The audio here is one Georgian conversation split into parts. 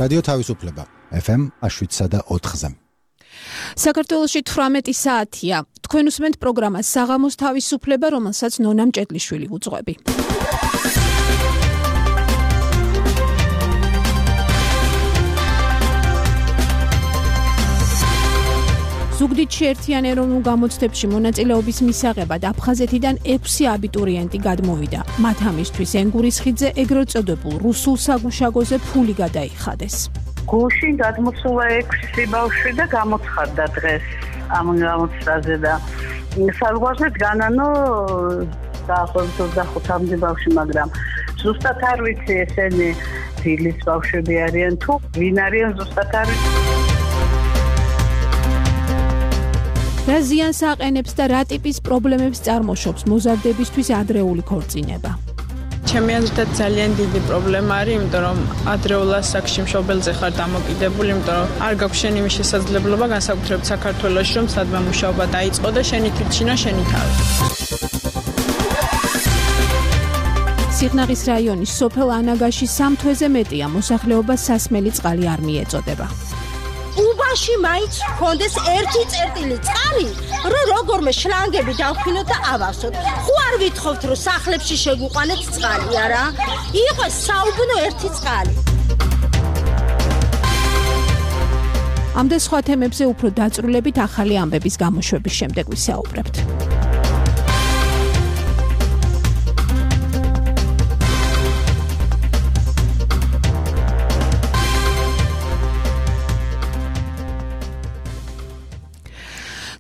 რადიო თავისუფლება FM 107.4-ზე. საქართველოში 18 საათია. თქვენ უსმენთ პროგრამას საღამოს თავისუფლება, რომელსაც ნონა მჭედლიშვილი უძღვები. ზუგდიდში ერთიან ეროვნულ გამოცდებში მონაწილეობის მისაღებად აფხაზეთიდან 6 აბიტურიენტი გადმოვიდა. მათ ამისთვის ენგურის ხიდზე ეგრეთ წოდებულ რუსულ საგუშაგოზე ფული გადაიხადეს. გუშინ გადმოსულა 6 ბავშვი და გამოცხადდა დღეს ამ გამოცდაზე და საზღვარზე განანო დაახლოებით 25 ბავშვი, მაგრამ ზუსტად არ ვიცი ესენი დილის ბავშვები არიან თუ ვინ არიან ზუსტად არ ვიცი. რა ზიანს აყენებს და რა ტიპის პრობლემებს წარმოშობს მოზარდებისთვის ადრეული ქორწინება? ჩემი აზრით ძალიან დიდი პრობლემა არის, იმიტომ რომ ადრეულ ასაკში მშობელზე ხარ დამოკიდებული, იმიტომ რომ არ გაქვს შენ იმის შესაძლებლობა განსაკუთრებით საქართველოში, რომ სადმე მუშაობა დაიწყო და შენი თვითშინა შენი თავი. სიღნაღის რაიონის სოფელ ანაგაში 3 თვეზე მეტია მოსახლეობა სასმელი წყალი არ მიეწოდება. უბაში მაინც ჰქონდეს ერთი წერტილი წყალი, რომ როგორმე შლანგები დავხინოთ და ავავსოთ. ხო არ ვითხოვთ, რომ სახლებში შეგვიყვანეთ წყალი, არა? იყოს საუბნო ერთი წყალი. ამ და სხვა თემებზე უფრო დაწვრილებით ახალი ამბების გამოშვების შემდეგ ვისაუბრებთ.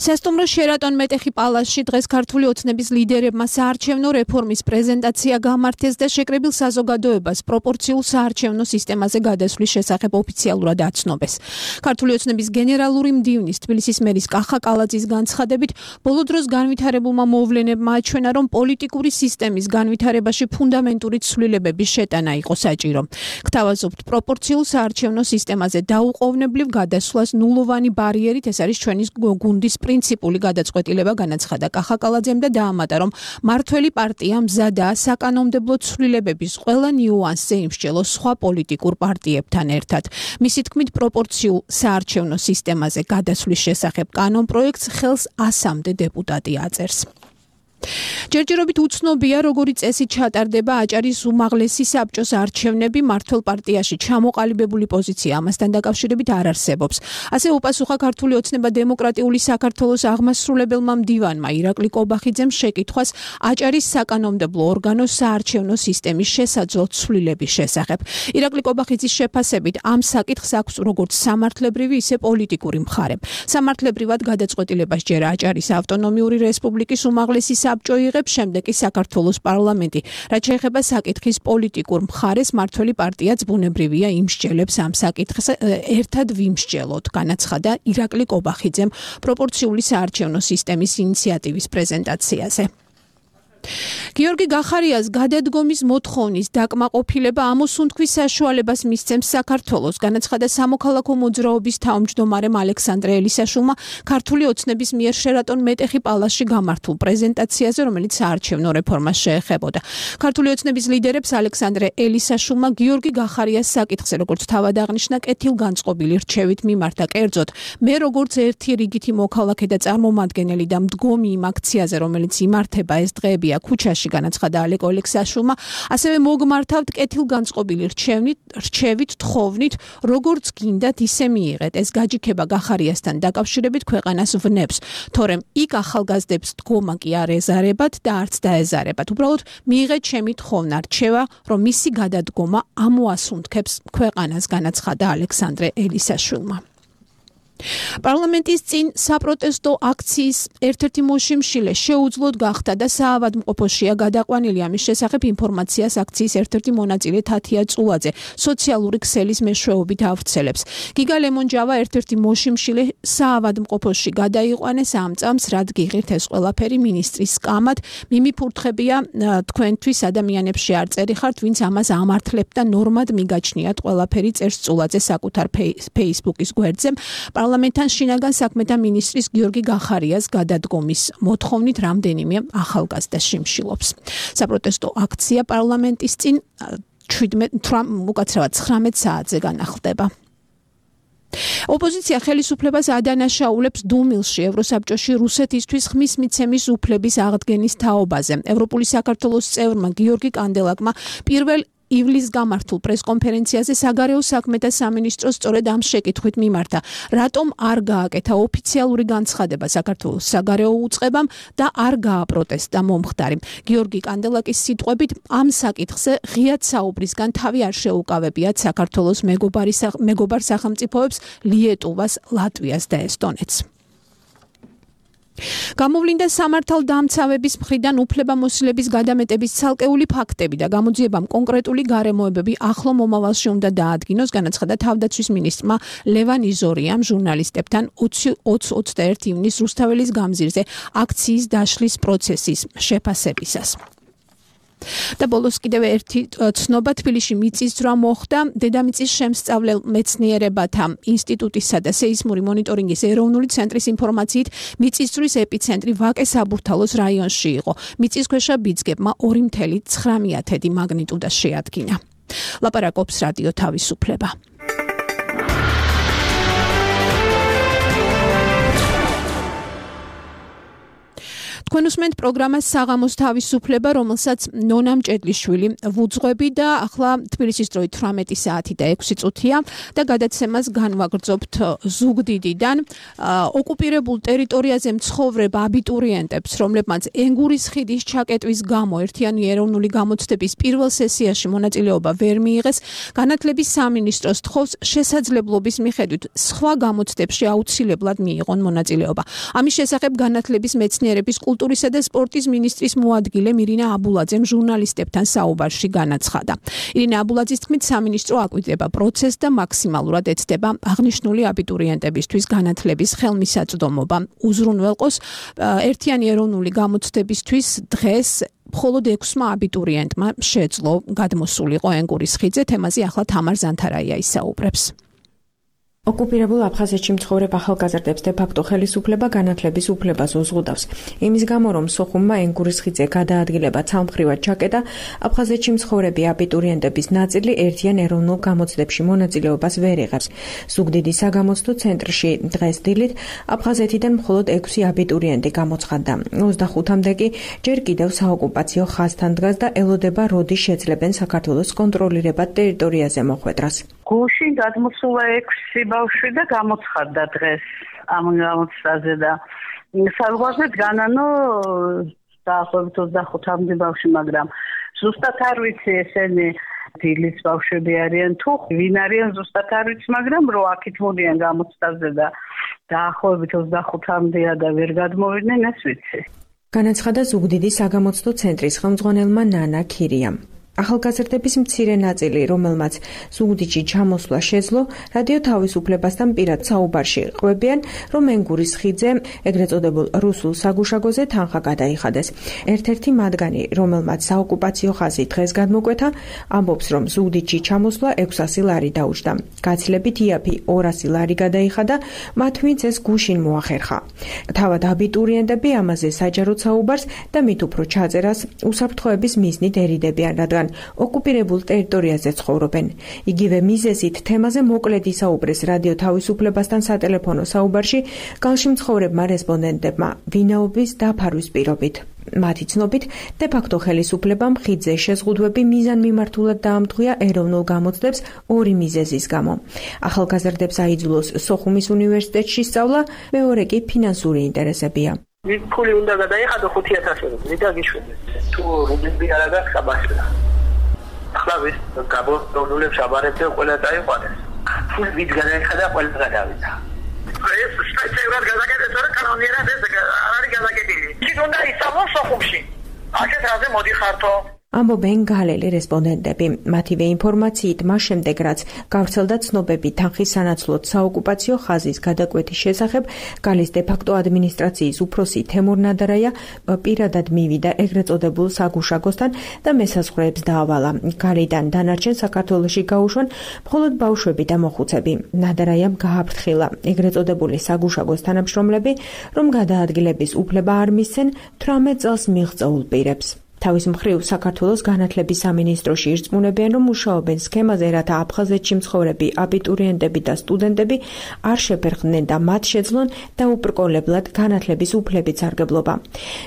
სასტუმრო შერატონ მეტეხი პალასში დღეს ქართული ოცნების ლიდერებმა საარჩევნო რეფორმის პრეზენტაცია გამართეს და შეკრებილ საზოგადოებას პროპორციულ საარჩევნო სისტემაზე გადასვლის შესახებ ოფიციალურად აცნობეს. ქართული ოცნების გენერალური მდივნის თბილისის მერის კახა კალაძის განცხადებით, ბოლო დროს განვითარებულმა მოვლენებმა აჩვენა, რომ პოლიტიკური სისტემის განვითარებაში ფუნდამენტური ცვლილებების შეტანა იყო საჭირო. გთავაზობთ, პროპორციულ საარჩევნო სისტემაზე დაუყოვნებლივ გადასვლას ნულოვანი ბარიერით ეს არის ჩვენი გუნდის პრინციპული გადაწყვეტილება, განაცხადა კახა კალაძემ და დაამატა, რომ მართველი პარტია მზადაა საკანონმდებლო ცვლილებების ყველა ნიუანსზე იმსჯელოს სხვა პოლიტიკურ პარტიებთან ერთად. მისი თქმით, პროპორციულ საარჩევნო სისტემაზე გადასვლის შესახებ კანონპროექტს ხელს 100-მდე დეპუტატი აწერს. ჯერჯერობით უცნობია, როგორი წესით ჩატარდება აჭარის უმაღლესი საბჭოს არჩევნები. მართველ პარტიაში ჩამოყალიბებული პოზიცია ამასთან დაკავშირებით არ არსებობს. ასე უპასუხა ქართული ოცნება დემოკრატიული საქართველოს აღმასრულებელმა მდივანმა ირაკლი კობახიძემ შეკითხვას აჭარის საკანონმდებლო ორგანოს საარჩევნო სისტემის შესაძლო ცვლილების შესახებ. ირაკლი კობახიძის შეფასებით ამ საკითხს აქვს როგორც სამართლებრივი, ისე პოლიტიკური მხარე. სამართლებრივად გადაწყვეტილებას ჯერ აჭარის ავტონომიური რესპუბლიკის უმაღლესი საბჭო იღებს, შემდეგ კი საქართველოს პარლამენტი. რაც შეეხება საკითხის პოლიტიკურ მხარეს, მართველი პარტიაც ბუნებრივია იმსჯელებს ამ საკითხს ერთად ვიმსჯელოთ, განაცხადა ირაკლი კობახიძემ პროპორციული საარჩევნო სისტემის ინიციატივის პრეზენტაციაზე. გიორგი გახარიას გადადგომის მოთხოვნის დაკმაყოფილება ამოსუნთქვის საშუალებას მისცემს საქართველოს, განაცხადა სამოქალაქო მოძრაობის თავმჯდომარემ ალექსანდრე ელისაშვილმა ქართული ოცნების მიერ შერატონ მეტეხი პალასში გამართულ პრეზენტაციაზე, რომელიც საარჩევნო რეფორმას შეეხებოდა. ქართული ოცნების ლიდერებს ალექსანდრე ელისაშვილმა გიორგი გახარიას საკითხზე, როგორც თავად აღნიშნა, კეთილგანწყობილი რჩევით მიმართა. კერძოდ, მე როგორც ერთი რიგითი მოქალაქე და წარმომადგენელი და მდგომი იმ აქციაზე, რომელიც იმართება ეს დღეები ქუჩაში, განაცხადა ალეკო ელისაშვილმა, ასევე მოგმართავთ კეთილგანწყობილი რჩევით, თხოვნით, როგორც გინდათ ისე მიიღეთ. ეს გაჯიქება გახარიასთან დაკავშირებით ქვეყანას ვნებს, თორემ იქ ახალგაზრდებს დგომა კი არ ეზარებათ და არც დაეზარებათ. უბრალოდ მიიღეთ ჩემი თხოვნა, რჩევა, რომ მისი გადადგომა ამოასუნთქებს ქვეყანას, განაცხადა ალექსანდრე ელისაშვილმა. პარლამენტის წინ საპროტესტო აქციის ერთ-ერთი მოშიმშილე შეუძლოდ გახდა და საავადმყოფოშია გადაყვანილი. ამის შესახებ ინფორმაციას აქციის ერთ-ერთი მონაწილე თათია წულაძე სოციალური ქსელის მეშვეობით ავრცელებს. გიგა ლემონჯავა ერთ-ერთი მოშიმშილე საავადმყოფოში გადაიყვანეს ამ წამს, რად გიღირთ ეს ყველაფერი მინისტრის სკამად. მიმიფურთხებია თქვენთვის ადამიანებში არ წერიხართ, ვინც ამას ამართლებთ და ნორმად მიგაჩნიათ ყველაფერი, წერს წულაძე საკუთარ Facebook-ის გვერდზე. პარლამენტთან შინაგან საქმეთა მინისტრის გიორგი გახარიას გადადგომის მოთხოვნით რამდენიმე ახალგაზრდა შიმშილობს. საპროტესტო აქცია პარლამენტის წინ 19 საათზე განახლდება. ოპოზიცია ხელისუფლებას ადანაშაულებს დუმილში ევროსაბჭოში რუსეთისთვის ხმის მიცემის უფლების აღდგენის თაობაზე. ევროპული საქართველოს წევრმა გიორგი კანდელაკმა პირველ ივლის გამართულ პრესკონფერენციაზე საგარეო საქმეთა სამინისტროს სწორედ ამ შეკითხვით მიმართა, რატომ არ გააკეთა ოფიციალური განცხადება საქართველოს საგარეო უწყებამ და არ გააპროტესტა მომხდარი. გიორგი კანდელაკის სიტყვებით, ამ საკითხზე ღიად საუბრისგან თავი არ შეუკავებიათ საქართველოს მეგობარ სახელმწიფოებს ლიეტუვას, ლატვიას და ესტონეთს. გამოვლინდა სამართალდამცავების მხრიდან უფლებამოსილების გადამეტების ცალკეული ფაქტები და გამოძიებამ კონკრეტული გარემოებები ახლო მომავალში უნდა დაადგინოს, განაცხადა თავდაცვის მინისტრმა ლევან იზორიამ ჟურნალისტებთან 20-21 ივნის რუსთაველის გამზირზე აქციის დაშლის პროცესის შეფასებისას. და ბოლოს კიდევ ერთი ცნობა თბილისში მიწისძვრა მოხდა. დედამიწის შემსწავლელ მეცნიერებათა ინსტიტუტისა და სეისმური მონიტორინგის ეროვნული ცენტრის ინფორმაციით მიწისძვრის ეპიცენტრი ვაკე-საბურთალოს რაიონში იყო. მიწისქვეშა ბიძგებმა 2.9 მაგნიტუდას შეადგინა. ლაპარაკობს რადიო თავისუფლება. თქვენ უსმენთ პროგრამას საღამოს თავისუფლება, რომელსაც ნონა მჭედლიშვილი ვუძღვები და ახლა თბილისის დროით 18 საათი და 6 წუთია და გადაცემას განვაგრძობთ ზუგდიდიდან. ოკუპირებულ ტერიტორიაზე მცხოვრებ აბიტურიენტებს, რომლებმაც ენგურის ხიდის ჩაკეტვის გამო ერთიანი ეროვნული გამოცდების პირველ სესიაში მონაწილეობა ვერ მიიღეს, განათლების სამინისტროს თხოვს შესაძლებლობის მიხედვით სხვა გამოცდებში აუცილებლად მიიღონ მონაწილეობა. ამის შესახებ განათლების მეცნიერების კულტურისა და სპორტის მინისტრის მოადგილე მირინა აბულაძემ ჟურნალისტებთან საუბარში განაცხადა. ირინა აბულაძის თქმით, სამინისტრო აკვირდება პროცესს და მაქსიმალურად ეცდება აღნიშნული აბიტურიენტებისთვის განათლების ხელმისაწვდომობა. უზრუნველყოს ერთიანი ეროვნული გამოცდებისთვის დღეს მხოლოდ 6 აბიტურიენტმა შეძლო გადმოსულიყო ენგურის ხიდზე. თემაზე ახლა თამარ ზანთარაია ისაუბრებს. ოკუპირებულ აფხაზეთში მცხოვრებ ახალგაზრდებს დე-ფაქტო ხელისუფლება განათლების უფლებას უზღუდავს. იმის გამო, რომ სოხუმმა ენგურის ხიდზე გადაადგილება ცალმხრივად ჩაკეტა, აფხაზეთში მცხოვრები აბიტურიენტების ნაწილი ერთიან ეროვნულ გამოცდებში მონაწილეობას ვერ იღებს. ზუგდიდის საგამოცდო ცენტრში დღეს დილით აფხაზეთიდან მხოლოდ 6 აბიტურიენტი გამოცხადდა. 25-მდე კი ჯერ კიდევ საოკუპაციო ხაზთან დგას და ელოდება, როდის შეძლებენ საქართველოს კონტროლირებად ტერიტორიაზე მოხვედრას. გუშინ გადმოსულა 6 ბავშვი და გამოცხადდა დღეს ამ გამოცდაზე და საზღვარზე დგანანო დაახლოებით 25-მდე ბავშვი, მაგრამ ზუსტად არ ვიცი ესენი დილის ბავშვები არიან თუ ვინ არიან ზუსტად არ ვიცი, მაგრამ რო აქეთ მოდიან გამოცდაზე და დაახლოებით 25-მდეა და ვერ გადმოვიდნენ, ეს ვიცი. განაცხადა ზუგდიდის საგამოცდო ცენტრის ხელმძღვანელმა ნანა ქირიამ. ახალგაზრდების მცირე ნაწილი, რომელმაც ზუგდიდში ჩამოსვლა შეძლო, რადიო თავისუფლებასთან პირად საუბარში ყვებიან, რომ ენგურის ხიდზე, ეგრეთ წოდებულ რუსულ საგუშაგოზე თანხა გადაიხადეს. ერთ-ერთი მათგანი, რომელმაც საოკუპაციო ხაზი დღეს გადმოკვეთა, ამბობს, რომ ზუგდიდში ჩამოსვლა 600 ლარი დაუჯდა. გაცილებით იაფი 200 ლარი გადაიხადა, მათ ვინც ეს გუშინ მოახერხა. თავად აბიტურიენტები ამაზე საჯაროდ საუბარს და მით უფრო ჩაწერას უსაფრთხოების მიზნით ერიდებიან, რადგან ოკუპირებულ ტერიტორიაზე ცხოვრობენ. იგივე მიზეზით თემაზე მოკლედ ისაუბრეს რადიო თავისუფლებასთან სატელეფონო საუბარში გალში მცხოვრებმა რესპონდენტებმა ვინაობის დაფარვის პირობით. მათი ცნობით, დე-ფაქტო ხელისუფლებამ ხიდზე შეზღუდვები მიზანმიმართულად დაამტყვია ეროვნულ გამოცდებს 2 მიზეზის გამო. ახალგაზრდებს აიძულოს სოხუმის უნივერსიტეტში სწავლა, მეორე კი ფინანსური ინტერესებია. ფული უნდა გადაიხადო 5000 რუბლი და გიშვიდეთ. თუ რუბლები არ აქვს აბაშლა. ახლა ვის გაბოლოულებს აბარებდნენ ყველა დაიყვანეს. ფული ვით გადაიხადა ყველა გადავიდა. ეს სპეციალურად გადაგაკეთეს, რა კანონიერად ეს არ არის გადაგაკეთილი. ის უნდა ისწავლოს სოხუმში. აქეთ რაზე მოდიხართო? ამბობენ გალელი რესპონდენტები. მათივე ინფორმაციით, მას შემდეგ რაც გავრცელდა ცნობები თანხის სანაცვლოდ საოკუპაციო ხაზის გადაკვეთის შესახებ, გალის დე-ფაქტო ადმინისტრაციის უფროსი თემურ ნადარაია პირადად მივიდა ეგრეთ წოდებულ საგუშაგოსთან და მესაზღვრეებს დაავალა. გალიდან დანარჩენ საქართველოში გაუშვან მხოლოდ ბავშვები და მოხუცები. ნადარაიამ გააფრთხილა ეგრეთ წოდებული საგუშაგოს თანამშრომლები, რომ გადაადგილების უფლება არ მისცენ 18 წელს მიღწეულ პირებს. თავის მხრივ საქართველოს განათლების სამინისტროში ირწმუნებიან, რომ მუშაობენ სქემაზე, რათა აფხაზეთში მცხოვრები აბიტურიენტები და სტუდენტები არ შეფერხდნენ და მათ შეძლონ დაუბრკოლებლად განათლების უფლებით სარგებლობა.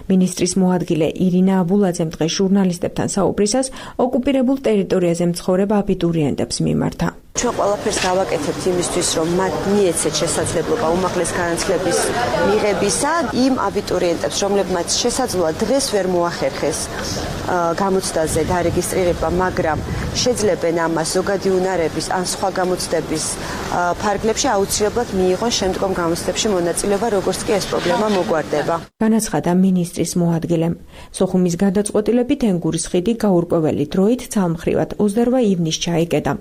მინისტრის მოადგილე ირინა აბულაძემ დღეს ჟურნალისტებთან საუბრისას ოკუპირებულ ტერიტორიაზე მცხოვრებ აბიტურიენტებს მიმართა. ჩვენ ყველაფერს გავაკეთებთ იმისთვის, რომ მათ მიეცეთ შესაძლებლობა უმაღლეს განათლების მიღებისა იმ აბიტურიენტებს, რომლებმაც შესაძლოა დღეს ვერ მოახერხეს გამოცდაზე დარეგისტრირება, მაგრამ შეძლებენ ამას ზოგადი უნარების ან სხვა გამოცდების ფარგლებში აუცილებლად მიიღონ შემდგომ გამოცდებში მონაწილეობა, როგორც კი ეს პრობლემა მოგვარდება. განაცხადა მინისტრის მოადგილემ. სოხუმის გადაწყვეტილებით ენგურის ხიდი გაურკვეველი დროით ცალმხრივად 28 ივნისს ჩაიკეტა.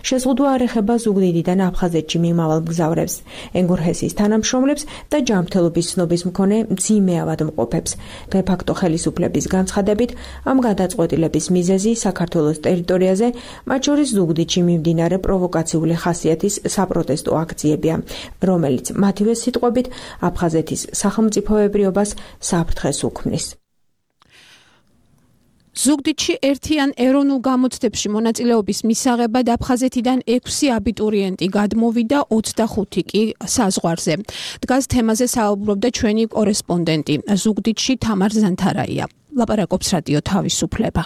შეზღუდვა არ ეხება ზუგდიდიდან აფხაზეთში მიმავალ მგზავრებს, ენგურჰესის თანამშრომლებს და ჯანმრთელობის ცნობის მქონე მძიმე ავადმყოფებს. დე-ფაქტო ხელისუფლების განცხადებით, ამ გადაწყვეტილების მიზეზი საქართველოს ტერიტორიაზე, მათ შორის ზუგდიდში მიმდინარე პროვოკაციული ხასიათის საპროტესტო აქციებია, რომელიც მათივე სიტყვებით აფხაზეთის სახელმწიფოებრიობას საფრთხეს უქმნის. ზუგდიდში ერთიან ეროვნულ გამოცდებში მონაწილეობის მისაღებად აფხაზეთიდან 6 აბიტურიენტი გადმოვიდა, 25 კი საზღვარზე. დგას თემაზე საუბრობდა ჩვენი კორესპონდენტი ზუგდიდში თამარ ზანთარაია. ლაპარაკობს რადიო თავისუფლება.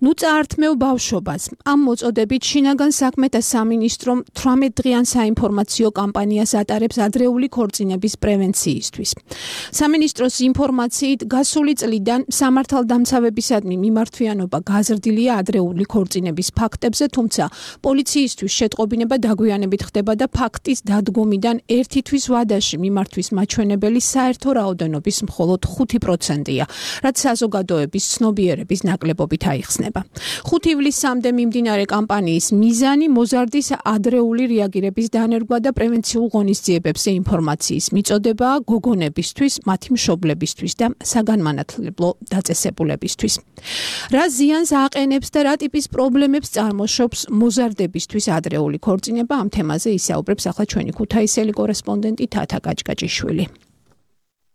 ნუ წაართმევ ბავშვობას. ამ მოწოდებით შინაგან საქმეთა სამინისტრომ 18 დღიან საინფორმაციო კამპანიას ატარებს ადრეული ქორწინების პრევენციისთვის. სამინისტროს ინფორმაციით გასული წლიდან სამართალდამცავებისადმი მიმართვიანობა გაზრდილია ადრეული ქორწინების ფაქტებზე, თუმცა პოლიციისთვის შეტყობინება დაგვიანებით ხდება და ფაქტის დადგომიდან 1 თვის ვადაში მიმართვის მაჩვენებელი საერთო რაოდენობის მხოლოდ 5%-ია, რაც საზოგადოების ცნობიერების ნაკლებობით აიხსნება. 5 ივლისამდე მიმდინარე კამპანიის მიზანი მოზარდის ადრეული რეაგირების დანერგვა და პრევენციულ ღონისძიებებზე ინფორმაციის მიწოდებაა გოგონებისთვის, მათი მშობლებისთვის და საგანმანათლებლო დაწესებულებისთვის. რა ზიანს აყენებს და რა ტიპის პრობლემებს წარმოშობს მოზარდებისთვის ადრეული ქორწინება, ამ თემაზე ისაუბრებს ახლა ჩვენი ქუთაისელი კორესპონდენტი თათა გაჭგაჭიშვილი.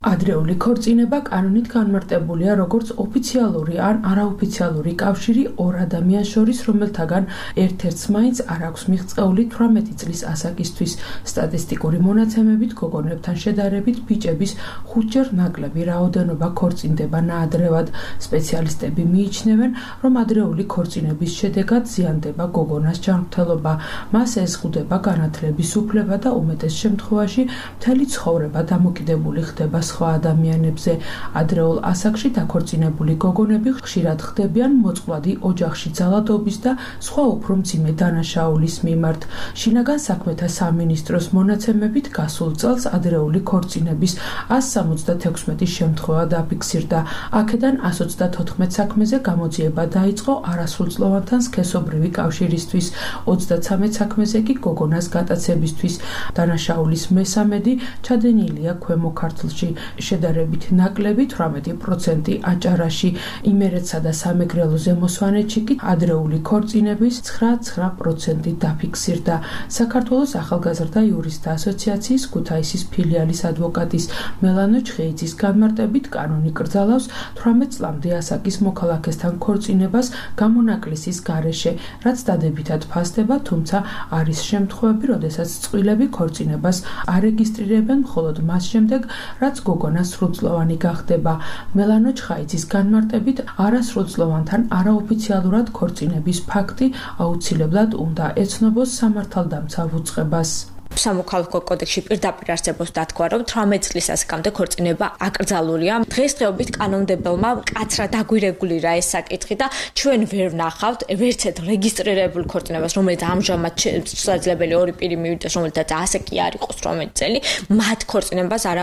ადრეული ქორწინება კანონით განმარტებულია როგორც ოფიციალური ან არაოფიციალური კავშირი ორ ადამიანს შორის, რომელთაგან ერთ-ერთს მაინც არ აქვს მიღწეული 18 წლის ასაკისთვის. სტატისტიკური მონაცემებით გოგონებთან შედარებით ბიჭების 5-ჯერ ნაკლები რაოდენობა ქორწინდება ნაადრევად. სპეციალისტები მიიჩნევენ, რომ ადრეული ქორწინების შედეგად ზიანდება გოგონას ჯანმრთელობა, მას ეზღუდება განათლების უფლება და უმეტეს შემთხვევაში მთელი ცხოვრება დამოკიდებული ხდება სხვა ადამიანებზე. ადრეულ ასაკში დაქორწინებული გოგონები ხშირად ხდებიან მოწყვლადი ოჯახში ძალადობის და სხვა უფრო მძიმე დანაშაულის მიმართ. შინაგან საქმეთა სამინისტროს მონაცემებით გასულ წელს ადრეული ქორწინების 176 შემთხვევა დაფიქსირდა. აქედან 134 საქმეზე გამოძიება დაიწყო არასრულწლოვანთან სქესობრივი კავშირისთვის, 33 საქმეზე კი გოგონას გატაცებისთვის. დანაშაულის მესამედი ჩადენილია ქვემო ქართლში. შედარებით ნაკლები 18% აჭარაში, იმერეთსა და სამეგრელოზე მოსვანეთში კი ადრეული ქორწინების 9% დაფიქსირდა. საქართველოს ახალგაზრდა იურისტთა ასოციაციის ქუთაისის ფილიალის ადვოკატის მელანო ჩხეიძის განმარტებით კანონი კრძალავს 18 წლამდე ასაკის მოქალაქესთან ქორწინებას გამონაკლისის გარეშე, რაც დადებითად ფასდება, თუმცა არის შემთხვევები, როდესაც წყვილები ქორწინებას არეგისტრირებენ მხოლოდ მას შემდეგ, რაც გოგონა სრულწლოვანი გახდება. მელანო ჩხაიძის განმარტებით არასრულწლოვანთან არაოფიციალურად ქორწინების ფაქტი აუცილებლად უნდა ეცნობოს სამართალდამცავ უწყებას. სამოქალაქო კოდექსში პირდაპირ არსებობს დათქვა, რომ 18 წლის ასაკამდე ქორწინება აკრძალულია. დღესდღეობით კანონმდებელმა მკაცრად აგვირეგულირა ეს საკითხი და ჩვენ ვერ ვნახავთ ვერცეთ რეგისტრირებულ ქორწინებას, რომელიც ამჟამად შესაძლებელი ორი პირი მივიდეს, რომელთაც ასე კი არ იყოს 18 წელი, მათ ქორწინებას არ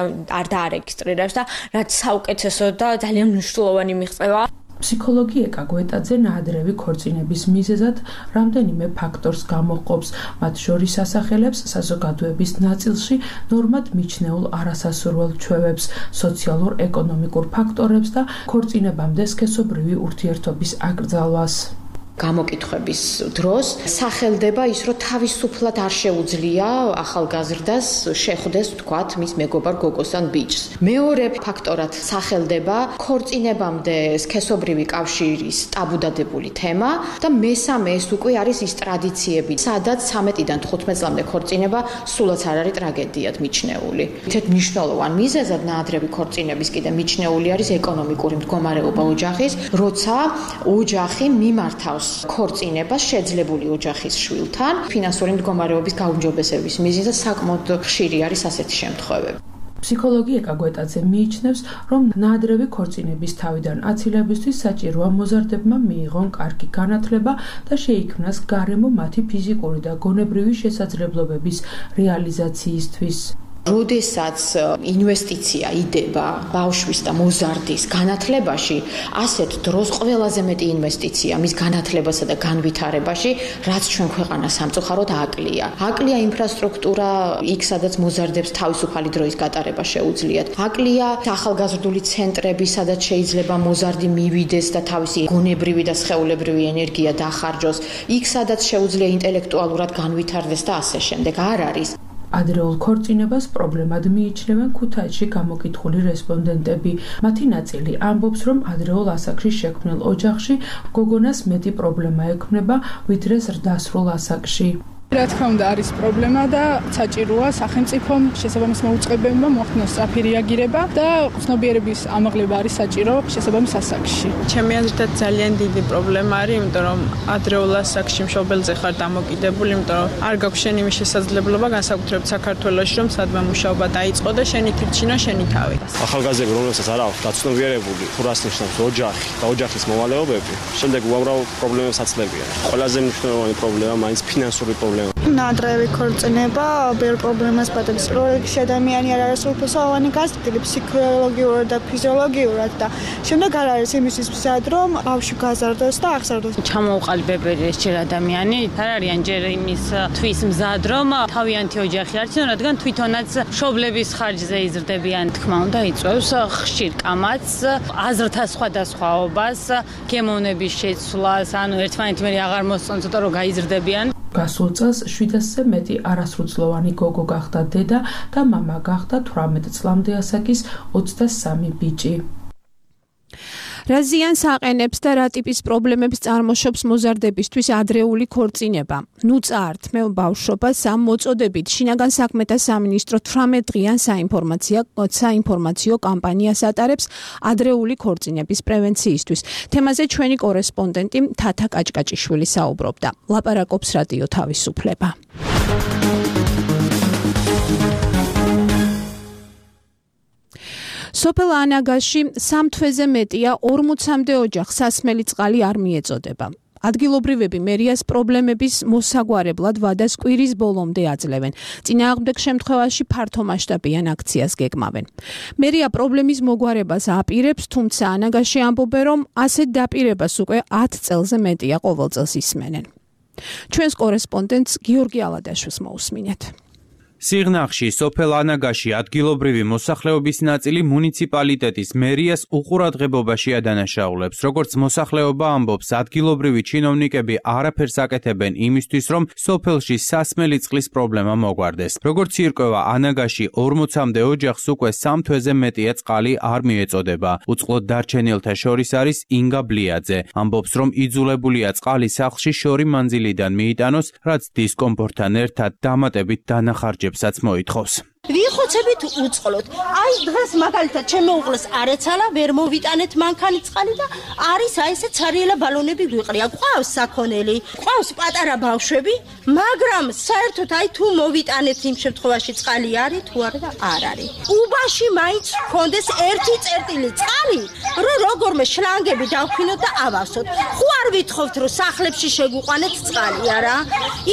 დაარეგისტრირებს და რაც საუკეთესო და ძალიან მნიშვნელოვანი მიღწევა. ფსიქოლოგი ეკა გვეტაძე ნაადრევი ქორწინების მიზეზად რამდენიმე ფაქტორს გამოყოფს, მათ შორის ასახელებს საზოგადოების ნაწილში ნორმად მიჩნეულ არასასურველ ჩვევებს, სოციალურ-ეკონომიკურ ფაქტორებს და ქორწინებამდე სქესობრივი ურთიერთობის აკრძალვას. გამოკითხების დროს სახელდება ის, რომ თავისუფლად არ შეუძლია ახალგაზრდას შეხვდეს, თქვათ, მის მეგობარ გოგოს ან ბიჭს. მეორე ფაქტორად სახელდება ქორწინებამდე სქესობრივი კავშირის ტაბუდადებული თემა და მესამე ეს უკვე არის ის ტრადიციები, სადაც 13-დან 15 წლამდე ქორწინება სულაც არ არის ტრაგედიად მიჩნეული. ერთ მნიშვნელოვან მიზეზად ნაადრევი ქორწინების კიდე მიჩნეული არის ეკონომიკური მდგომარეობა ოჯახის, როცა ოჯახი მიმართავს ქორწინებას შეძლებული ოჯახის შვილთან, ფინანსური მდგომარეობის გაუმჯობესების მიზეზად საკმაოდ ხშირი არის ასეთი შემთხვევები. ფსიქოლოგი ეკა გვეტაძე მიიჩნევს, რომ ნაადრევი ქორწინების თავიდან აცილებისთვის საჭიროა მოზარდებმა მიიღონ კარგი განათლება და შეიქმნას გარემო მათი ფიზიკური და გონებრივი შესაძლებლობების რეალიზაციისთვის. როდესაც ინვესტიცია იდება ბავშვის და მოზარდის განათლებაში, ასეთ დროს ყველაზე მეტი ინვესტიცია მის განათლებასა და განვითარებაში, რაც ჩვენ ქვეყანა სამწუხაროდ აკლია. აკლია ინფრასტრუქტურა, იქ სადაც მოზარდებს თავისუფალი დროის გატარება შეუძლიათ. აკლია ახალგაზრდული ცენტრები, სადაც შეიძლება მოზარდი მივიდეს და თავისი გონებრივი და სხეულებრივი ენერგია დახარჯოს. იქ სადაც შეუძლია ინტელექტუალურად განვითარდეს და ასე შემდეგ. არ არის. ადრეულ ქორწინებას პრობლემად მიიჩნევენ ქუთაისში გამოკითხული რესპონდენტები. მათი ნაწილი ამბობს, რომ ადრეულ ასაკში შექმნილ ოჯახში გოგონას მეტი პრობლემა ექმნება, ვიდრე ზრდასრულ ასაკში. რა თქმა უნდა არის პრობლემა და საჭიროა სახელმწიფომ შესაბამის მოუწყებებმა მოახდინოს სწრაფი რეაგირება და ცნობიერების ამაღლება არის საჭირო შესაბამის ასაკში. ჩემი აზრით ძალიან დიდი პრობლემა არის, იმიტომ რომ ადრეულ ასაკში მშობელზე ხარ დამოკიდებული, იმიტომ რომ არ გაქვს შენ იმის შესაძლებლობა განსაკუთრებით საქართველოში, რომ სადმე მუშაობა დაიწყო და შენი თირჩინო შენი თავი. ახალგაზრდები, რომლებსაც არ აქვს დაცნობიერებული, თუ რას ნიშნავს ოჯახი და ოჯახის მოვალეობები, შემდეგ უამრავ პრობლემებს აცლებიან. ყველაზე მნიშვნელოვანი პრობლემა მაინც ფინანსური პრობლემა. ნაადრევი ქორწინება ბევრ პრობლემას პატებს. პროექტში ადამიანი არ არის სრულფასოვანი გაზრდილი ფსიქოლოგიურად და ფიზიოლოგიურად და შემდეგ არ არის იმისთვის მზად, რომ ბავშვი გაზარდოს და აღზარდოს. ჩამოუყალიბებელი ეს ჯერ ადამიანი არ არიან ჯერ იმისთვის მზად, რომ თავიანთი ოჯახი არჩნონ, რადგან თვითონაც მშობლების ხარჯზე იზრდებიან. თქმა უნდა, იწვევს ხშირ კამათს, აზრთა სხვადასხვაობას, გემოვნების შეცვლას, ანუ ერთმანეთი მე აღარ მოსწონს, ცოტა რომ გაიზრდებიან. გასულ წელს 700-ზე მეტი არასრულწლოვანი გოგო გახდა დედა და მამა გახდა 18 წლამდე ასაკის 23 ბიჭი. რა ზიანს აყენებს და რა ტიპის პრობლემებს წარმოშობს მოზარდებისთვის ადრეული ქორწინება? ნუ წაართმევ ბავშვობას ამ მოწოდებით შინაგან საქმეთა სამინისტრო 18 დღიან საინფორმაციო კამპანიას ატარებს ადრეული ქორწინების პრევენციისთვის. თემაზე ჩვენი კორესპონდენტი თათა კაჭკაჭიშვილი საუბრობდა. ლაპარაკობს რადიო თავისუფლება. სოფელ ანაგაში 3 თვეზე მეტია 40-მდე ოჯახს სასმელი წყალი არ მიეწოდება. ადგილობრივები მერიას პრობლემების მოსაგვარებლად ვადას კვირის ბოლომდე აძლევენ. წინააღმდეგ შემთხვევაში ფართომასშტაბიან აქციას გეგმავენ. მერია პრობლემის მოგვარებას აპირებს, თუმცა ანაგაში ამბობენ, რომ ასეთ დაპირებას უკვე 10 წელზე მეტია ყოველ წელს ისმენენ. ჩვენს კორესპონდენტს გიორგი ალადაშვილს მოусმინეთ. სიღნაღში, სოფელ ანაგაში ადგილობრივი მოსახლეობის ნაწილი მუნიციპალიტეტის მერიას უყურადღებობაში ადანაშაულებს. როგორც მოსახლეობა ამბობს, ადგილობრივი ჩინოვნიკები არაფერს აკეთებენ იმისთვის, რომ სოფელში სასმელი წყლის პრობლემა მოგვარდეს. როგორც ირკვევა, ანაგაში 40-მდე ოჯახს უკვე 3 თვეზე მეტია წყალი არ მიეწოდება. უწყლოდ დარჩენილთა შორის არის ინგა ბლიაძე. ამბობს, რომ იძულებულია წყალი სახლში შორი მანძილიდან მიიტანოს, რაც დისკომფორტთან ერთად დამატებით დანახარჯებს მოითხოვს. ვიხოცებით უწყლოდ. აი დღეს მაგალითად ჩემი უყლეს არ ეცალა, ვერ მოვიტანეთ მანქანი წყალი და არის აი ესე ცარიელა ბალონები გვიყრია. ყავს საქონელი, ყავს პატარა ბავშვები, მაგრამ საერთოდ აი თუ მოვიტანეთ იმ შემთხვევაში წყალი არის თუ არა და არ არის. უბაში მაინც ხონდეს ერთი წერტილი წყალი, რომ როგორმე შლანგები დავფინოთ და ავასოთ. ხო არ ვითხოვთ რომ სახლებში შეგვიყვანეთ წყალი, არა?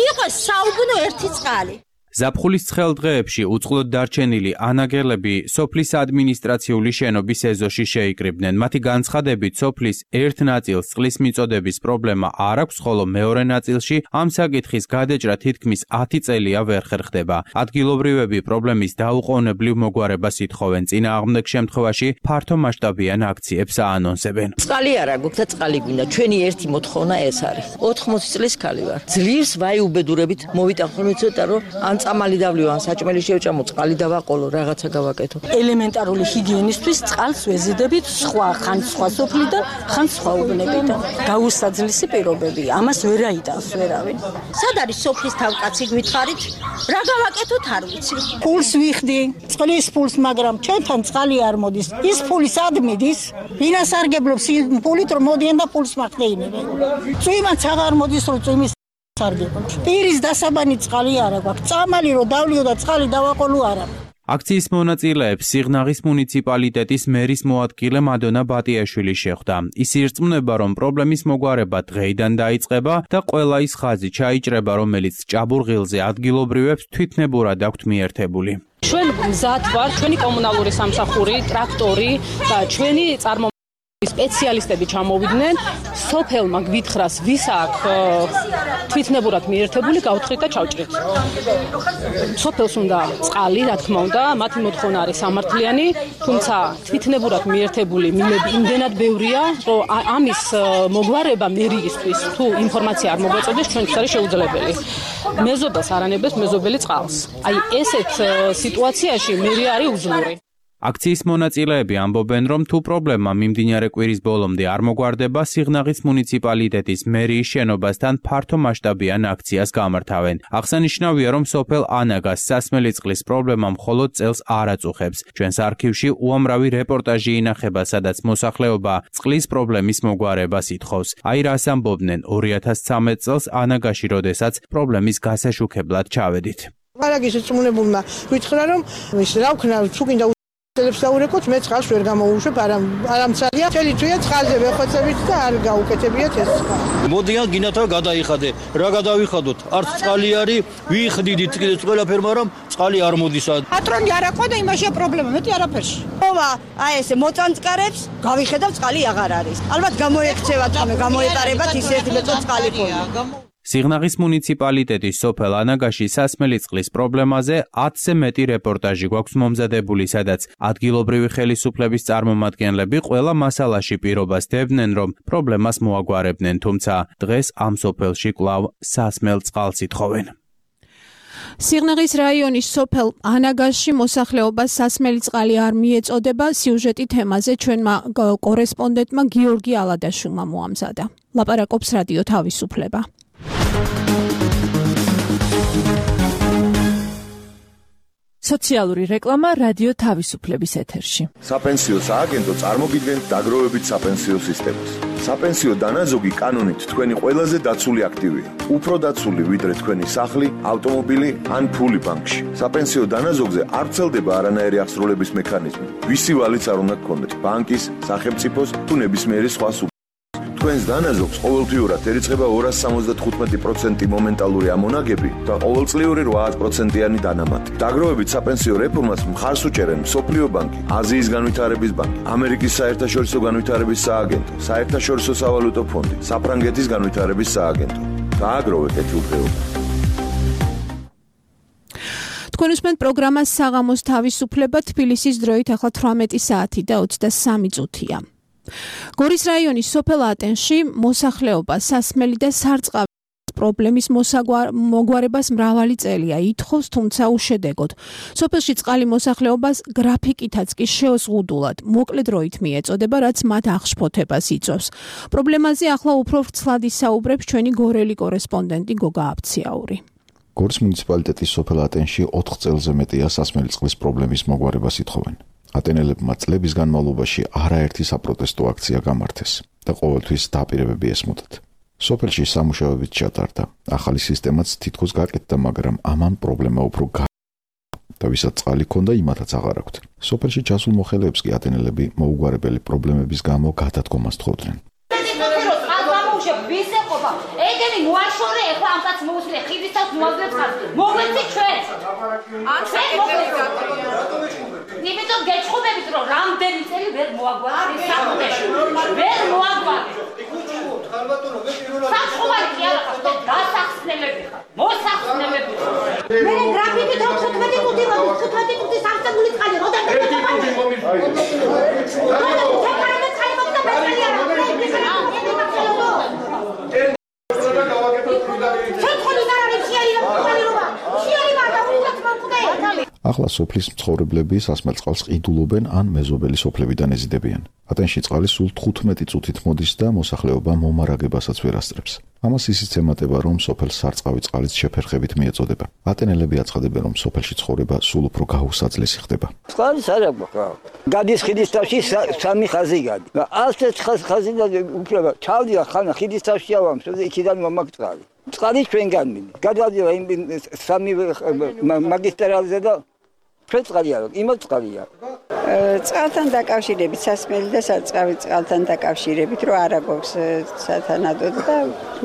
იყოს საუბნო ერთი წყალი. ზაფხულის ცხელ დღეებში უწყლოდ დარჩენილი ანაგელები სოფლის ადმინისტრაციული შენობის ეზოში შეიკრიბნენ. მათი განცხადებით, სოფლის ერთ ნაწილს წყლის მიწოდების პრობლემა არ აქვს, ხოლო მეორე ნაწილში ამ საკითხის გადაჭრა თითქმის 10 წელია ვერ ხერხდება. ადგილობრივები პრობლემის დაუყოვნებლივ მოგვარებას ითხოვენ. წინააღმდეგ შემთხვევაში ფართო მასშტაბიან აქციებს აანონსებენ. წყალი არა გვაქვს და წყალი გვინდა. ჩვენი ერთი მოთხოვნა ეს არის. 80 წლის ქალი ვარ. ძლიერს ვაი უბედურებით მოვიტანხმო ცოტა რომ ან წამალი დავლივ, ან საჭმელი შევჭამო, წყალი დავაყოლო, რაღაცა გავაკეთო. ელემენტარული ჰიგიენისთვის წყალს ვეზიდებით ხან სხვა სოფლიდან, ხან სხვა უბნებიდან. გაუსაძლისი პირობებია. ამას ვერ აიტანს ვერავინ. სად არის სოფლის თავკაცი გითხარით? რა გავაკეთოთ არ ვიცი. ფულს ვიხდი, წყლის ფულს, მაგრამ ჩვენთან წყალი არ მოდის. ის ფული სად მიდის? ვინას არგებლობს ფულით რომ მოდიან და ფულს მახდეინებენ. წვიმაც აღარ მოდის რომ წვიმის არგებლობს. პირის დასაბანი წყალი არა გვაქვს. წამალი რომ დავლიო და წყალი დავაყოლო არა. აქციის მონაწილეებს სიღნაღის მუნიციპალიტეტის მერის მოადგილე მადონა ბატიაშვილი შეხვდა. ის ირწმუნება, რომ პრობლემის მოგვარება დღეიდან დაიწყება და ყველა ის ხაზი ჩაიჭრება, რომელიც ჭაბურღილზე ადგილობრივებს თვითნებურად აქვთ მიერთებული. ჩვენ მზად ვართ, ჩვენი კომუნალური სამსახური, ტრაქტორი და ჩვენი სპეციალისტები ჩამოვიდნენ, სოფელმა გვითხრას, ვის აქვს თვითნებურად მიერთებული, გავთხრით და ჩავჭრით. სოფელს უნდა წყალი, რა თქმა უნდა, მათი მოთხოვნა არის სამართლიანი, თუმცა თვითნებურად მიერთებული მილები იმდენად ბევრია, რომ ამის მოგვარება მერიისთვის თუ ინფორმაცია არ მოგვეწოდეს, ჩვენთვის არის შეუძლებელი. მეზობელს არანებდეს მეზობელი წყალს. აი ესეთ სიტუაციაში მერი არის უძლური. აქციის მონაწილეები ამბობენ, რომ თუ პრობლემა მიმდინარე კვირის ბოლომდე არ მოგვარდება, სიღნაღის მუნიციპალიტეტის მერიის შენობასთან ფართო მასშტაბიან აქციას გამართავენ. აღსანიშნავია, რომ სოფელ ანაგას სასმელი წყლის პრობლემა მხოლოდ წელს არ აწუხებს. ჩვენს არქივში უამრავი რეპორტაჟი ინახება, სადაც მოსახლეობა წყლის პრობლემის მოგვარებას ითხოვს. აი რას ამბობდნენ 2013 წელს ანაგაში, როდესაც პრობლემის გასაშუქებლად ჩავედით. არაგის წმუნებულმა ვითხრა, რომ ის რა ვქნა, თუ გინდა ელებს დაურეკოთ, მე წყალს ვერ გამოვუშვებ, არამცალია, წელი წვია წყალზე ვეხოცებით და არ გაუკეთებიათ ეს წყალი. მოდიან გინათა გადაიხადე. რა გადავიხადოთ? არც წყალი არის, ვიხდიდით კიდეც ყველაფერ, მაგრამ წყალი არ მოდის. პატრონი არ აყვა და იმაშია პრობლემა, მეტი არაფერში. ოვა, აი ესე მოწანწკარებს, გავიხედავ წყალი აღარ არის. ალბათ გამოექცევათ, გამოეტარებათ ის ერთი მეტო წყალი ფონი. სიღნაღის მუნიციპალიტეტის სოფელ ანაგაში სასმელი წყლის პრობლემაზე 10-ზე მეტი რეპორტაჟი გვაქვს მომზადებული, სადაც ადგილობრივი ხელისუფლების წარმომადგენლები ყველა მასალაში პირობას დებდნენ, რომ პრობლემას მოაგვარებდნენ, თუმცა დღეს ამ სოფელში კვლავ სასმელ წყალს ითხოვენ. სიღნაღის რაიონის სოფელ ანაგაში მოსახლეობას სასმელი წყალი არ მიეწოდება. სიუჟეტი თემაზე ჩვენმა კორესპონდენტმა გიორგი ალადაშვილმა მოამზადა. ლაპარაკობს რადიო თავისუფლება. სოციალური რეკლამა რადიო თავისუფლების ეთერში. საპენსიო სააგენტო წარმოგიდგენთ დაგროვებით საპენსიო სისტემას. საპენსიო დანაზოგი კანონით თქვენი ყველაზე დაცული აქტივია. უფრო დაცული ვიდრე თქვენი სახლი, ავტომობილი ან ფული ბანკში. საპენსიო დანაზოგზე არ ვრცელდება არანაირი აღსრულების მექანიზმი. ვისი ვალიც არ უნდა გქონდეთ, ბანკის, სახელმწიფოს თუ ნებისმიერი სხვა თქვენს დანაზოგს ყოველთვიურად ერიცხება 275% მომენტალური ამონაგები და ყოველწლიური 8%-იანი დანამატი. დაგროვებით საპენსიო რეფორმას მხარს უჭერენ მსოფლიო ბანკი, აზიის განვითარების ბანკი, ამერიკის საერთაშორისო განვითარების სააგენტო, საერთაშორისო სავალუტო ფონდი, საფრანგეთის განვითარების სააგენტო. დააგროვეთ ეთილდღეობა. თქვენ უსმენთ პროგრამას საღამოს თავისუფლება, თბილისის დროით ახლა 18 საათი და 23 წუთია. გორის რაიონის სოფელ ატენში მოსახლეობა სასმელი და სარწყავი პრობლემის მოგვარებას მრავალი წელია ითხოვს, თუმცა უშედეგოდ. სოფელში წყალი მოსახლეობას გრაფიკითაც კი შეოზღუდულად, მოკლე დროით მიეწოდება, რაც მათ აღშფოთებას იწვევს. პრობლემაზე ახლა უფრო ვრცლად ისაუბრებს ჩვენი გორელი კორესპონდენტი გოგა აბციაური. გორის მუნიციპალიტეტის სოფელ ატენში 4 წელზე მეტია სასმელი წყლის პრობლემის მოგვარებას ითხოვენ. ატენელებმა წლების განმავლობაში არაერთი საპროტესტო აქცია გამართეს და ყოველთვის დაპირებები ესმოდათ. სოფელში სამუშაოებიც ჩატარდა. ახალი სისტემაც თითქოს გაკეთდა, მაგრამ ამან პრობლემა უფრო და ვისაც წყალი ქონდა, იმათაც აღარ აქვთ. სოფელში ჩასულ მოხელეებს კი ატენელები მოუგვარებელი პრობლემების გამო გადადგომას თხოვდნენ. ეგენი მოაშორე ეხლა ამსაც მოუსლე ხიდისას მოაძლევს ხარჯი. მოგვეცი ჩვენ. იმიტომ გეჩხუბებით რომ რამდენი წელი ვერ მოაგვარეთ საფუძეში. ვერ მოაგვარეთ. საჩხუბარი კი არა ხარ, დასახსნელები ხარ. მოსახსნელები ხარ. მე გრაფიკით 15 წუთი მოდი 15 წუთი სამწებული წყალი როდა ახლა სოფლის მცხოვრებლები სასმელწყალს ყიდულობენ ან მეზობელი სოფლებიდან ეზიდებიან. ატენში წყალი სულ 15 წუთით მოდის და მოსახლეობა მომარაგებასაც ვერ ასწრებს. ამას ისიც ემატება, რომ სოფელს სარწყავი წყალიც შეფერხებით მიეწოდება. ატენელები აცხადებენ, რომ სოფელში ცხოვრება სულ უფრო გაუსაძლესი ხდება. წყალის არ აქვს. გადის ხიდის თავში 3 ხაზი გადი. ასეთ ხაზი უფლება ჩავდია ხანა ხიდის თავში ავამ, იქიდან მომაქვს წყალი. წყალი ჩვენ განმინე. გადავდიო იმ 3 მაგისტრალზე და ჩვენ წყალი არ აქვს, იმათ წყალია. წყალთან დაკავშირებით, სასმელი და სარწყავი წყალთან დაკავშირებით, რომ არა გვაქვს სათანადოდ და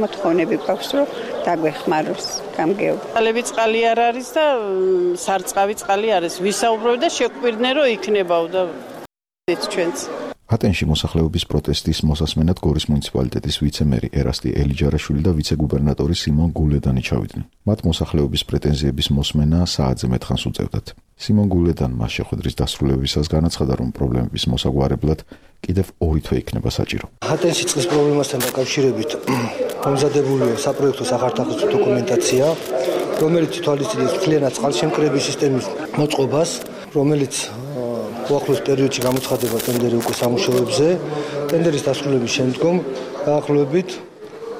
მოთხოვნები გვაქვს, რომ დაგვეხმაროს გამგეობა. წყალები წყალი არ არის და სარწყავი წყალი არის. ვისაუბრებ და შეგვირდნენ, რომ იქნებაო და ჩვენც. ატენში მოსახლეობის პროტესტის მოსასმენად გორის მუნიციპალიტეტის ვიცე-მერი ერასტი ელიჯარაშვილი და ვიცე-გუბერნატორი სიმონ გულედანი ჩავიდნენ. მათ მოსახლეობის პრეტენზიების მოსმენა საათზე მეტხანს უწევდათ. სიმონ გულედანმა შეხვედრის დასრულებისას განაცხადა, რომ პრობლემების მოსაგვარებლად კიდევ 2 თვე იქნება საჭირო. ატენში წყლის პრობლემასთან დაკავშირებით მომზადებულია საპროექტო სახარდახის დოკუმენტაცია, რომელიც თვალისწინებს მთლიანად წყალშემკრების სისტემის მოწყობას, რომელიც უახლოეს პერიოდში გამოცხადება ტენდერი უკვე სამუშაოებზე. ტენდერის დასრულების შემდგომ დაახლოებით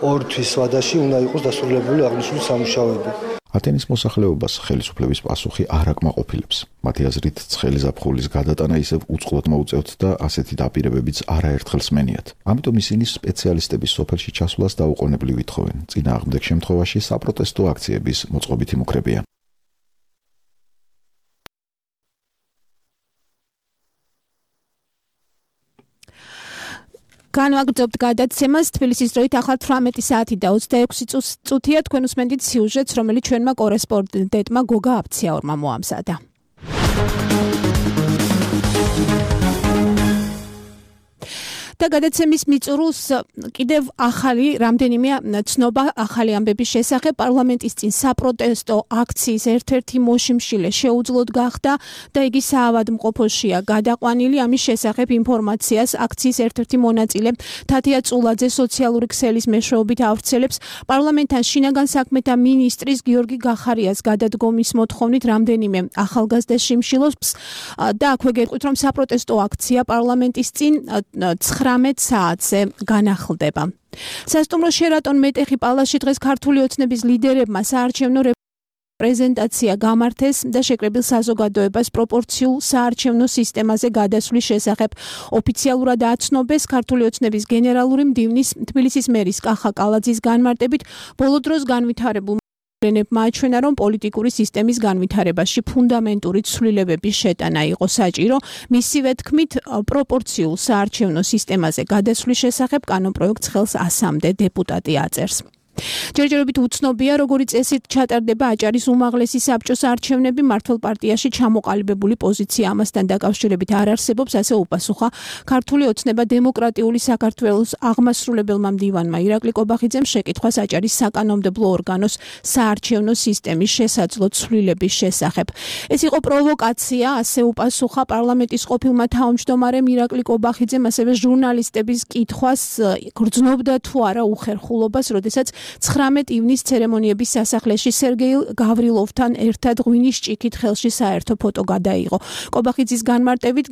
2 თვის ვადაში უნდა იყოს დასრულებული აღნიშნული სამუშაოები. ატენის მოსახლეობას ხელისუფლების პასუხი არ აკმაყოფილებს. მათი აზრით, ცხელი ზაფხულის გადატანა ისევ უწყლოდ მოუწევთ და ასეთი დაპირებებიც არაერთხელ სმენიათ. ამიტომ ისინი სპეციალისტების სოფელში ჩასვლას დაუყოვნებლივ ითხოვენ. წინააღმდეგ შემთხვევაში საპროტესტო აქციების მოწყობით იმუქრებიან. განვაგრძობთ გადაცემას თბილისის დროით ახლა 18 საათი და 26 წუთია. თქვენ უსმენთ სიუჟეტს, რომელიც ჩვენმა კორესპონდენტმა გოგა აფციაურმა მოამზადა. და გადაცემის მიწურულს კიდევ ახალი რამდენიმე ცნობა ახალი ამბების შესახებ. პარლამენტის წინ საპროტესტო აქციის ერთ-ერთი მოშიმშილე შეუძლოდ გახდა და იგი საავადმყოფოშია გადაყვანილი. ამის შესახებ ინფორმაციას აქციის ერთ-ერთი მონაწილე თათია წულაძე სოციალური ქსელის მეშვეობით ავრცელებს. პარლამენტთან შინაგან საქმეთა მინისტრის გიორგი გახარიას გადადგომის მოთხოვნით რამდენიმე ახალგაზრდა შიმშილობს და აქვე გეტყვით, რომ საპროტესტო აქცია პარლამენტის წინ 19 საათზე განახლდება. სასტუმრო შერატონ მეტეხი პალასში დღეს ქართული ოცნების ლიდერებმა საარჩევნო პრეზენტაცია გამართეს და შეკრებილ საზოგადოებას პროპორციულ საარჩევნო სისტემაზე გადასვლის შესახებ ოფიციალურად აცნობეს. ქართული ოცნების გენერალური მდივნის თბილისის მერის კახა კალაძის განმარტებით, ბოლო დროს განვითარებულ მაჩვენა, რომ პოლიტიკური სისტემის განვითარებაში ფუნდამენტური ცვლილებების შეტანა იყო საჭირო. მისივე თქმით, პროპორციულ საარჩევნო სისტემაზე გადასვლის შესახებ კანონპროექტს ხელს 100-მდე დეპუტატი აწერს. ჯერჯერობით უცნობია, როგორი წესით ჩატარდება აჭარის უმაღლესი საბჭოს არჩევნები. მართლ პარტიაში ჩამოყალიბებული პოზიცია ამასთან დაკავშირებით არ არსებობს, ასე უპასუხა ქართული ოცნება დემოკრატიული საქართველოს აღმასრულებელმა მდივანმა ირაკლი კობახიძემ შეკითხვას აჭარის საკანონმდებლო ორგანოს საარჩევნო სისტემის შესაძლო ცვლილების შესახებ. ეს იყო პროვოკაცია, ასე უპასუხა პარლამენტის ყოფილმა თავმჯდომარემ ირაკლი კობახიძემ, ასევე ჟურნალისტების კითხვას გრძნობდა თუ არა უხერხულობას, როდესაც 19 ივნის ცერემონიების სასახლეში სერგეი გავრილოვთან ერთად ღვინის ჭიქით ხელში საერთო ფოტო გადაიღო. კობახიძის განმარტებით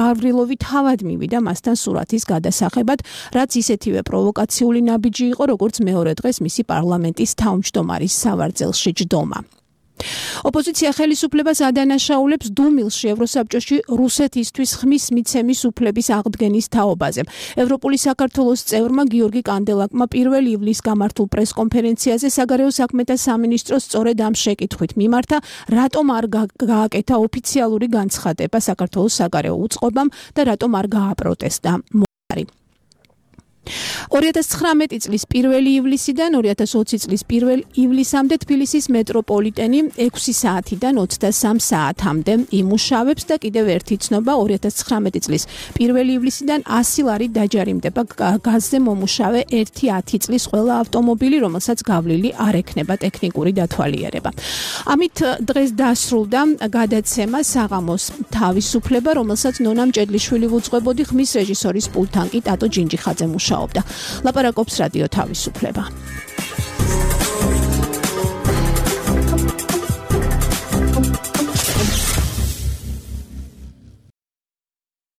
გავრილოვი თავად მივიდა მასთან სურათის გადასაღებად, რაც ისეთივე პროვოკაციული ნაბიჯი იყო, როგორც მეორე დღეს მისი პარლამენტის თავმჯდომარის სავარძელში ჯდომა. ოპოზიცია ხელისუფლებას ადანაშაულებს დუმილში ევროსაბჭოში რუსეთისთვის ხმის მიცემის უფლების აღდგენის თაობაზე. ევროპული საქართველოს წევრმა გიორგი კანდელაკმა 1 ივლისს გამართულ პრესკონფერენციაზე საგარეო საქმეთა სამინისტროს სწორედ ამ შეკითხვით მიმართა, რატომ არ გააკეთა ოფიციალური განცხადება საქართველოს საგარეო უწყობამ და რატომ არ გააპროტესტა. 2019 წლის 1 ივლისიდან 2020 წლის 1 ივლისამდე თბილისის მეტროპოლიტენი 6 საათიდან 23 საათამდე იმუშავებს და კიდევ ერთი ცნობა 2019 წლის 1 ივლისიდან 100 ლარი დაჯარიმდება გაზზე მომუშავე 1-10 წლის ყველა ავტომობილი, რომელსაც გავლილი არ ექნება ტექნიკური დათვალიერება. ამით დღეს დასრულდა გადაცემა საღამოს თავისუფლება, რომელსაც ნონა მჭედლიშვილი უძღვებოდი, ხმის რეჟისორის პულტთან კი ტატო ჯინჯიხაძე მუშაობდა. ლაპარაკობს რადიო თავისუფლება.